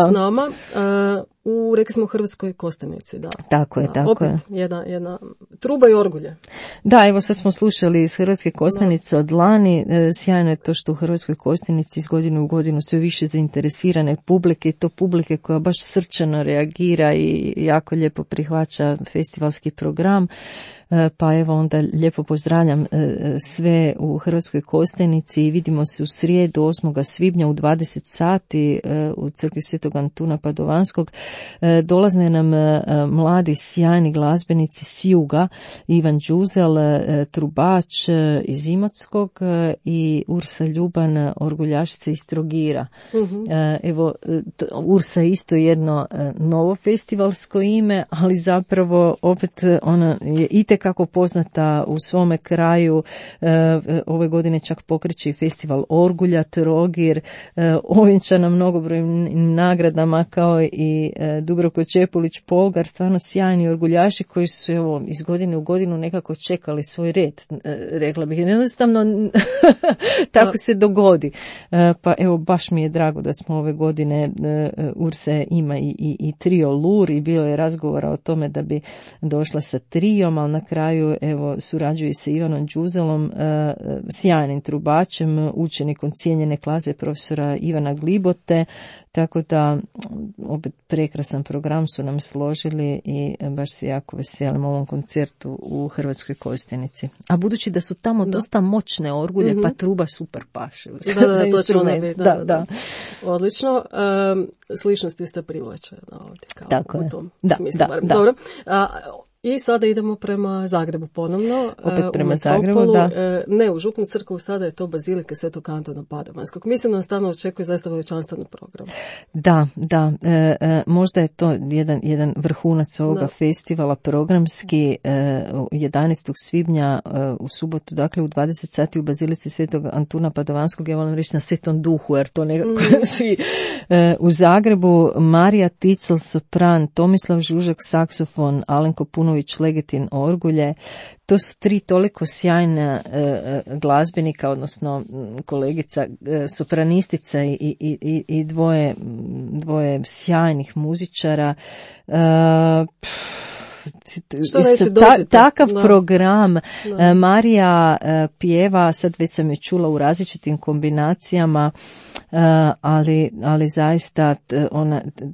s nama. Rekli smo u Hrvatskoj Kostajnici, da. Tako je. Opet jedna truba i orgulje. Da, evo sad smo slušali iz Hrvatske Kostajnice od lani. Sjajno je to što u Hrvatskoj Kostajnici iz godine u godinu sve više zainteresirane publike, i to publike koja baš srčano reagira i jako lijepo prihvaća festivalski program. Pa evo onda lijepo pozdravljam sve u Hrvatskoj Kostajnici i vidimo se u srijedu 8. svibnja u 20 sati u crkvi Svetog Antuna Padovanskog. Dolazne nam mladi sjajni glazbenici s juga, Ivan Đuzel, trubač iz Imotskog i Ursa Ljuban, orguljašica iz Trogira. Evo, Ursa je isto jedno novo festivalsko ime, ali zapravo opet ona je itekako poznata u svome kraju. Ove godine čak pokreće i festival Orgulja, Trogir, ovjenčana mnogobrojnim nagradama kao i Dubravko Čepulić-Polgar, stvarno sjajni orguljaši koji su evo, iz godine u godinu nekako čekali svoj red, rekla bih. Jednostavno tako se dogodi. Pa evo, baš mi je drago da smo ove godine, Urse ima i trio Lur i bilo je razgovora o tome da bi došla sa trijom, ali na kraju evo surađuje se Ivanom Đuzelom, sjajnim trubačem, učenikom cijenjene klase profesora Ivana Glibote, tako da opet prekrasan program su nam složili i baš se jako veselim ovom koncertu u Hrvatskoj Kostajnici. A budući da su tamo dosta moćne orgulje, pa truba super paše. Da, to će ona biti. Da. Odlično. Sličnosti ste privlače ovdje. Tako u tom smislu. Dobro. I sada idemo prema Zagrebu ponovno. Opet prema Zagrebu, da. Ne, u župnu crkvu sada je to Bazilika Svetog Antuna Padovanskog. Mislim da nas tamo očekuje zaista veličanstven program. Da. Možda je to jedan vrhunac ovoga festivala programski 11. svibnja u subotu, dakle u 20 sati u Bazilici Svetog Antuna Padovanskog. Ja volim reći na Svetom Duhu, jer to nekako svi u Zagrebu. Marija Ticel, sopran, Tomislav Žužak, saksofon, Alenko Punović, Legetin, orgulje. To su tri toliko sjajna glazbenika, odnosno kolegica sopranistica i dvoje sjajnih muzičara. Takav program. Marija pjeva, sad već sam je čula u različitim kombinacijama, ali zaista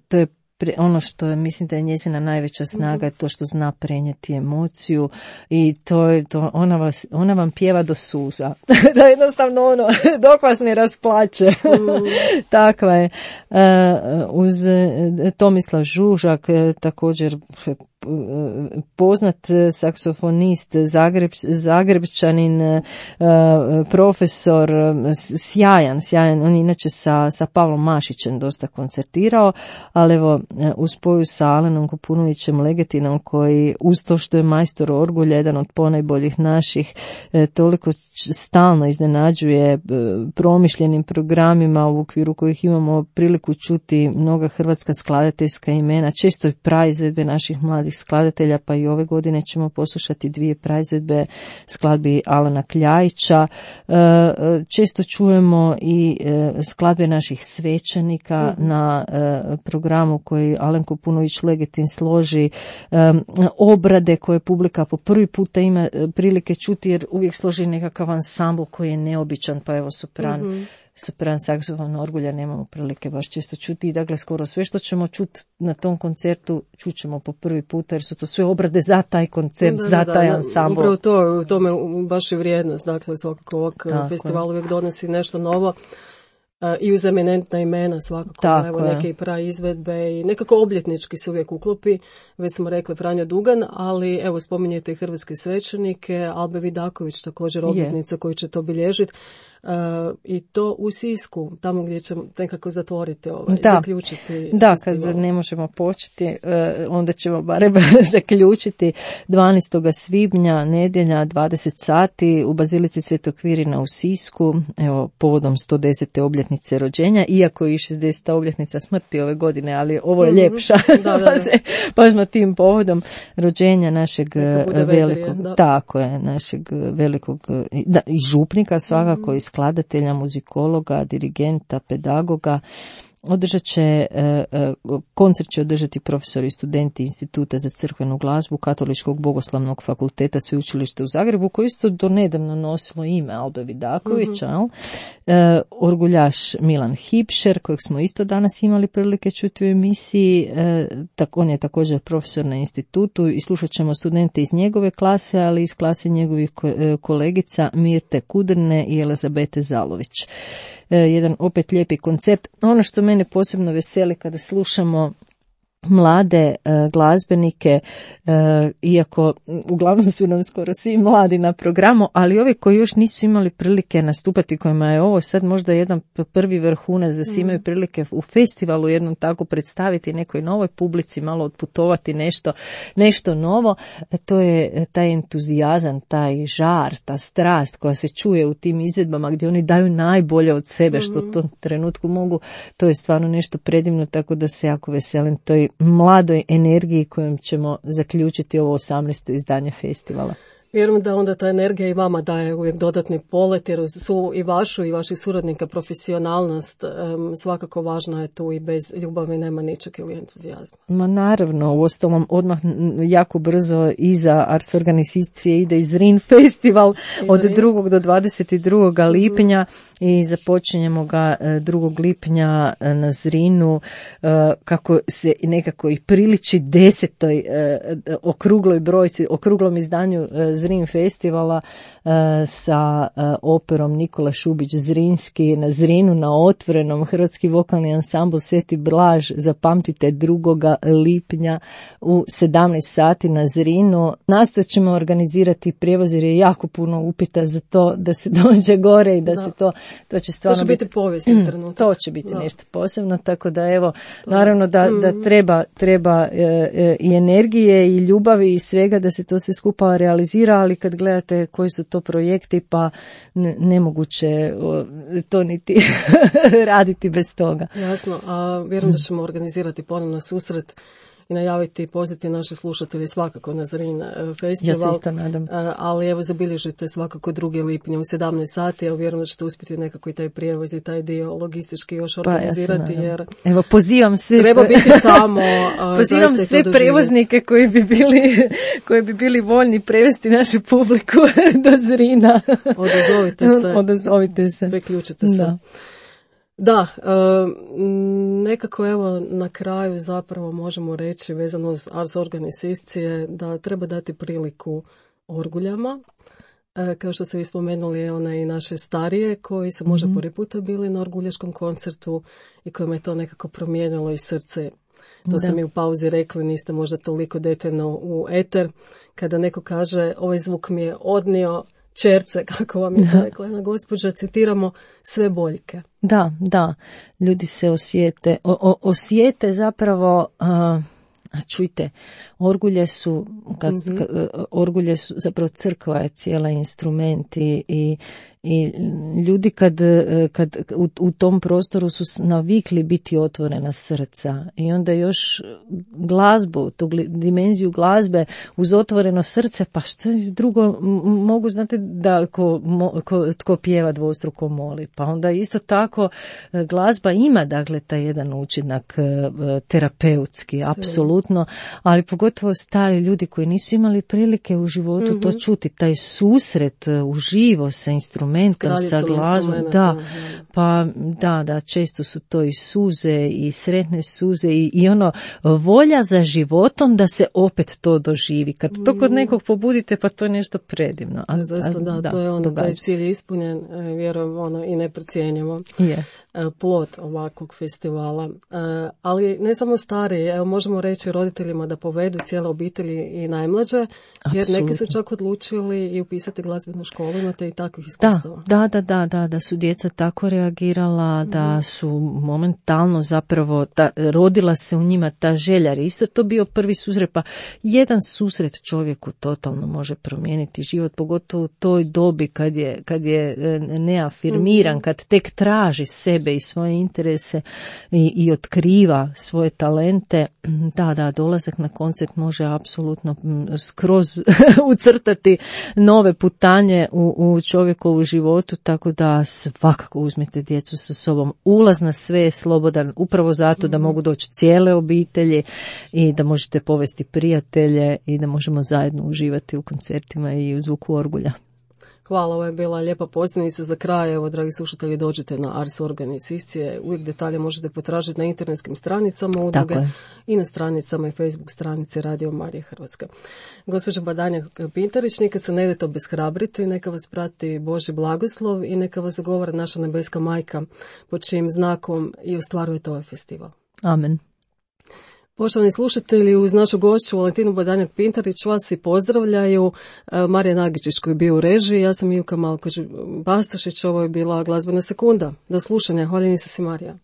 to je ono što je, mislim da je njezina najveća snaga, je to što zna prenijeti emociju i ona vam pjeva do suza. Da jednostavno dok vas ne rasplače. Takva je. Uz Tomislav Žužak također poznat saksofonist, Zagrebčanin, profesor, sjajan, on je inače sa Pavlom Mašićem dosta koncertirao, ali evo u spoju sa Alenom Kopunovićem Legetinom, koji uz to što je majstor orgulja, jedan od ponajboljih naših, toliko stalno iznenađuje promišljenim programima u okviru kojih imamo priliku čuti mnoga hrvatska skladateljska imena, često i praizvedbe naših mladih skladatelja, pa i ove godine ćemo poslušati 2 praizvedbe skladbi Alana Kljajića. Često čujemo i skladbe naših svećenika na programu koji Alen Kopunović Legetin složi, obrade koje publika po prvi puta ima prilike čuti, jer uvijek složi nekakav ansambl koji je neobičan, pa evo sopran, saksofon, orgulja nemamo prilike baš često čuti, i dakle skoro sve što ćemo čuti na tom koncertu čućemo po prvi puta, jer su to sve obrade za taj koncert, za taj ansambl. Upravo to, tome baš je vrijednost, dakle svakako ovog festival uvijek donosi nešto novo. I uz eminentna imena svakako, evo neke praizvedbe i nekako obljetnički se uvijek uklopi, već smo rekli Franjo Dugan, ali evo spominjete i hrvatske svećenike, Albe Vidaković također obljetnica koju će to obilježiti. I to u Sisku, tamo gdje ćemo nekako zatvoriti zaključiti. Da, kad ne možemo početi, onda ćemo barem zaključiti 12. svibnja, nedjelja, 20 sati u Bazilici Svetog Kvirina u Sisku, evo povodom 110. obljetnice rođenja, iako je i 60. obljetnica smrti ove godine, ali ovo je ljepša, pa smo tim povodom rođenja našeg velikog, tako je, našeg velikog i župnika svakako, i skladatelja, muzikologa, dirigenta, pedagoga. Održat će, koncert će održati profesori i studenti Instituta za crkvenu glazbu Katoličkog bogoslovnog fakulteta Sveučilišta u Zagrebu, koji isto do nedavno nosilo ime Albe Vidakovića, orguljaš Milan Hipšer, kojeg smo isto danas imali prilike čuti u emisiji, on je također profesor na institutu, i slušat ćemo studente iz njegove klase, ali iz klase njegovih kolegica Mirte Kudrne i Elizabete Zalović. Jedan opet lijepi koncert. Ono što mene posebno veseli kada slušamo mlade glazbenike, iako uglavnom su nam skoro svi mladi na programu, ali ovi koji još nisu imali prilike nastupati, kojima je ovo sad možda jedan prvi vrhunac, da se imaju prilike u festivalu jednom tako predstaviti nekoj novoj publici, malo otputovati nešto novo, to je taj entuzijazam, taj žar, ta strast koja se čuje u tim izvedbama gdje oni daju najbolje od sebe što u tom trenutku mogu. To je stvarno nešto predivno, tako da se jako veselim toj mladoj energiji kojom ćemo zaključiti ovo 18. izdanje festivala. Vjerujem da onda ta energija i vama daje uvijek dodatni polet, jer su i vašu i vaših suradnika profesionalnost svakako važna je tu, i bez ljubavi nema ničeg ili entuzijazma. Ma naravno, uostalom odmah jako brzo iza Ars Organizacije ide i Zrin festival od 2. do 22. lipnja i započinjemo ga 2. lipnja na Zrinu, kako se nekako i priliči 10. okrugloj brojci, okruglom izdanju Zrin festivala sa operom Nikola Šubić Zrinski na Zrinu na otvorenom, hrvatski vokalni ansambl Sveti Blaž, zapamtite 2. lipnja u 17 sati na Zrinu. Nastojat ćemo organizirati prijevoz jer je jako puno upita za to da se dođe gore i da se to će stvarno to će biti povijesni trenutak. To će biti nešto posebno, tako da evo, naravno da treba i energije i ljubavi i svega da se to sve skupa realizira, ali kad gledate koji su to projekti, pa nemoguće to niti raditi bez toga. Jasno, a vjerujem da ćemo organizirati ponovno susret i najaviti pozivati naše slušatelje svakako na Zrin festival. Ja se isto nadam. Ali evo zabilježite svakako 2. lipnja u 17 sati. Evo vjerujem da ćete uspjeti nekako i taj prijevoz i taj dio logistički još organizirati. Jer evo pozivam sve. Treba biti tamo. Pozivam sve prevoznike koji bi bili voljni prevesti našu publiku do Zrina. Odazovite se. Priključite se. Da. Da, nekako evo na kraju zapravo možemo reći vezano uz Ars Organizacije da treba dati priliku orguljama. Kao što ste vi spomenuli, one i naše starije koji su možda prvi puta bili na orguljaškom koncertu i kojima je to nekako promijenilo i srce To ste mi u pauzi rekli, niste možda toliko detaljno u eter. Kada neko kaže, ovaj zvuk mi je odnio čerce, kako vam je rekla jedna gospođa, citiramo, sve boljke. Da, ljudi se osjete zapravo, čujte, orgulje su, orgulje su, zapravo crkva je cijela instrument i ljudi kad u tom prostoru su navikli biti otvorena srca i onda još glazbu, tu dimenziju glazbe uz otvoreno srce, pa što drugo mogu, znate da tko pjeva dvostruko moli, pa onda isto tako glazba ima dakle taj jedan učinak terapeutski, apsolutno, ali pogotovo stari ljudi koji nisu imali prilike u životu to čuti, taj susret uživo sa instrumentom, sa glazbom, da, često su to i suze i sretne suze i ono volja za životom da se opet to doživi. Kad to kod nekog pobudite, pa to je nešto predivno. Zaista, to je ono, taj cilj ispunjen, vjerujem, i neprocijenjivo. Plod ovakvog festivala. Ali ne samo stari, evo možemo reći roditeljima da povedu cijele obitelji i najmlađe, jer neki su čak odlučili i upisati glazbenu školu, imate i takvih iskustava. Da su djeca tako reagirala, da su momentalno zapravo, rodila se u njima ta želja, jer isto to bio prvi susret, pa jedan susret čovjeku totalno može promijeniti život, pogotovo u toj dobi kad je neafirmiran, kad tek traži sebe i svoje interese i otkriva svoje talente. Da, dolazak na koncert može apsolutno skroz ucrtati nove putanje u čovjekovu životu, tako da svakako uzmite djecu sa sobom. Ulaz na sve je slobodan, upravo zato da mogu doći cijele obitelji i da možete povesti prijatelje i da možemo zajedno uživati u koncertima i u zvuku orgulja. Hvala, ovo je bila lijepa posljednica za kraj. Evo, dragi slušatelji, dođite na Ars Organizacije. Uvijek detalje možete potražiti na internetskim stranicama udruge i na stranicama i Facebook stranice Radio Marija Hrvatska. Gospođa Badanjak Pintarić, nikad se ne idete obeshrabriti, neka vas prati Božji blagoslov i neka vas zagovara naša nebeska majka, pod čijim znakom i ostvarujete ovaj festival. Amen. Poštovani slušatelji, uz našu gošću Valentinu Badanjak Pintarić vas i pozdravljaju Marija Nagičić koji je bio u režiji, ja sam Ivka Malković Bastašić, ovo je bila Glazbena sekunda. Do slušanja, hvala Isusi Marija.